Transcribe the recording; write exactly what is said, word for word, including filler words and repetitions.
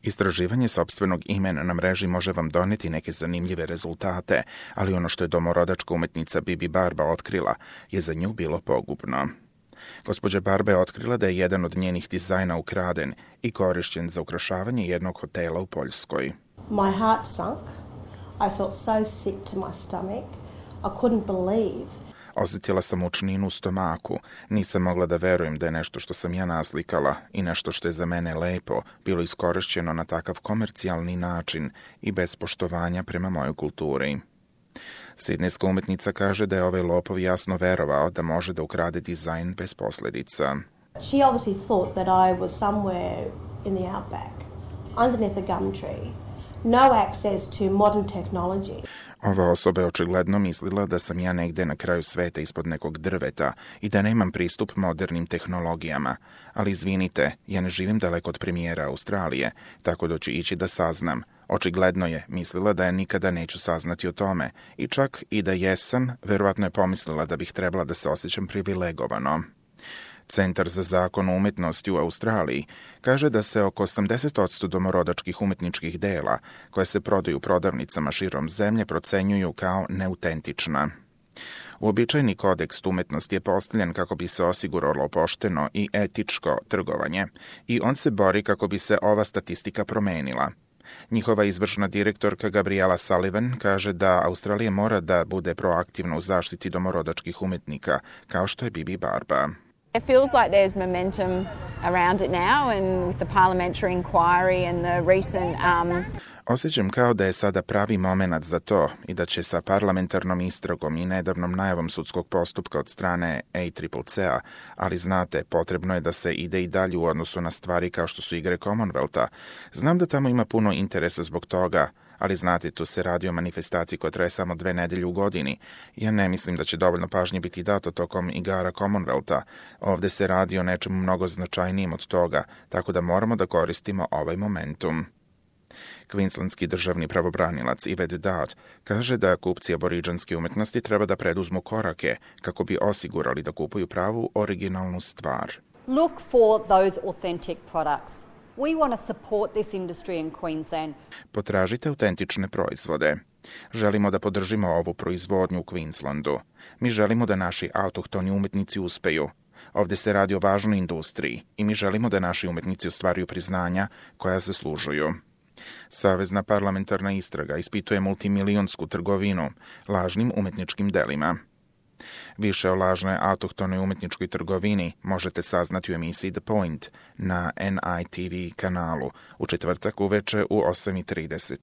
Istraživanje sopstvenog imena na mreži može vam doneti neke zanimljive rezultate, ali ono što je domorodačka umetnica Bibi Barba otkrila je za nju bilo pogubno. Gospođa Barba je otkrila da je jedan od njenih dizajna ukraden i korišćen za ukrašavanje jednog hotela u Poljskoj. My heart sunk. I felt so sick to my stomach. I couldn't believe. Osjetila sam mučninu u stomaku. Nisam mogla da verujem da je nešto što sam ja naslikala i nešto što je za mene lepo bilo iskorišćeno na takav komercijalni način i bez poštovanja prema mojoj kulturi. Sidnejska umetnica kaže da je ovaj lopov jasno verovao da može da ukrade dizajn bez posledica. She obviously thought that I was somewhere in the outback, underneath a gum tree. No access to modern technology. Ova osoba je očigledno mislila da sam ja negde na kraju sveta ispod nekog drveta i da nemam pristup modernim tehnologijama. Ali izvinite, ja ne živim daleko od premijera Australije, tako da ću ići da saznam. Očigledno je mislila da ja nikada neću saznati o tome i čak i da jesam, verovatno je pomislila da bih trebala da se osjećam privilegovano. Centar za zakon o umetnosti u Australiji kaže da se oko osamdeset posto domorodačkih umetničkih dela koje se prodaju u prodavnicama širom zemlje procenjuju kao neautentična. Uobičajeni kodeks umetnosti je postavljen kako bi se osiguralo pošteno i etičko trgovanje i on se bori kako bi se ova statistika promenila. Njihova izvršna direktorka Gabriela Sullivan kaže da Australija mora da bude proaktivna u zaštiti domorodačkih umetnika, kao što je Bibi Barba. It feels like there's momentum around it now, and with the parliamentary inquiry and the recent um Osjećam kao da je sada pravi moment za to i da će sa parlamentarnom istragom i nedavnom najavom sudskog postupka od strane A C C C-a, ali znate, potrebno je da se ide i dalje u odnosu na stvari kao što su igre Commonwealtha. Znam da tamo ima puno interesa zbog toga, ali znate, tu se radi o manifestaciji koja traje samo dve nedelje u godini. Ja ne mislim da će dovoljno pažnje biti dato tokom igara Commonwealtha. Ovde se radi o nečemu mnogo značajnijim od toga, tako da moramo da koristimo ovaj momentum. Queenslandski državni pravobranilac Yvette Dodd kaže da kupci aboriđanske umetnosti treba da preduzmu korake kako bi osigurali da kupuju pravu originalnu stvar. Look for those authentic products. We want to support this industry in Queensland. Potražite autentične proizvode. Želimo da podržimo ovu proizvodnju u Queenslandu. Mi želimo da naši autohtoni umetnici uspeju. Ovde se radi o važnoj industriji i mi želimo da naši umetnici ostvaruju priznanja koja zaslužuju. Savezna parlamentarna istraga ispituje multimilionsku trgovinu lažnim umetničkim delima. Više o lažnoj autohtonoj umetničkoj trgovini možete saznati u emisiji The Point na N I T V kanalu u četvrtak uveče u osam i trideset.